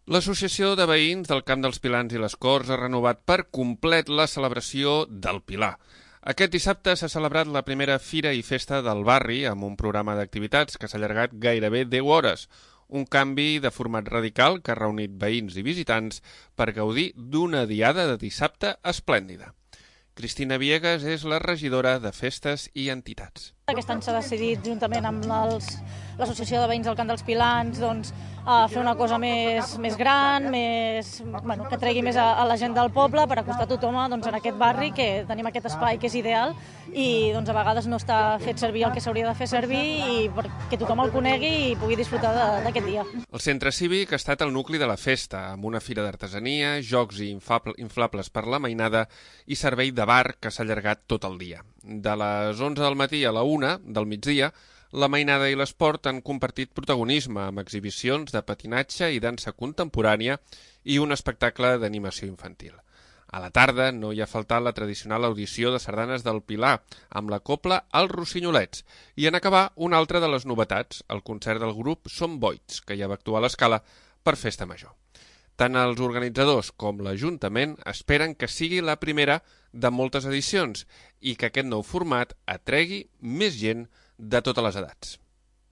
L'Associació de Veïns del Camp dels Pilans i les Corts ha renovat per complet la celebració del Pilar. Aquest dissabte s'ha celebrat la primera fira i festa del barri amb un programa d'activitats que s'ha allargat gairebé 10 hores. Un canvi de format radical que ha reunit veïns i visitants per gaudir d'una diada de dissabte esplèndida. Cristina Viegas és la regidora de Festes i Entitats. Aquest any s'ha decidit, juntament amb l'Associació de Veïns del Camp dels Pilans, fer una cosa més gran, que tregui més a la gent del poble per acostar tothom en aquest barri, que tenim aquest espai que és ideal i a vegades no està fet servir el que s'hauria de fer servir i perquè tothom el conegui i pugui disfrutar d'aquest dia. El centre cívic ha estat el nucli de la festa, amb una fira d'artesania, jocs i inflables per la mainada i servei de bar que s'ha allargat tot el dia. De les 11 del matí a la 1 del migdia, la mainada i l'esport han compartit protagonisme amb exhibicions de patinatge i dansa contemporània i un espectacle d'animació infantil. A la tarda no hi ha faltat la tradicional audició de sardanes del Pilar, amb la cobla Els Rossinyolets, i en acabar una altra de les novetats, el concert del grup Som Boits, que ja va actuar a l'Escala per Festa Major. Tant els organitzadors com l'Ajuntament esperen que sigui la primera de moltes edicions i que aquest nou format atregui més gent de totes les edats.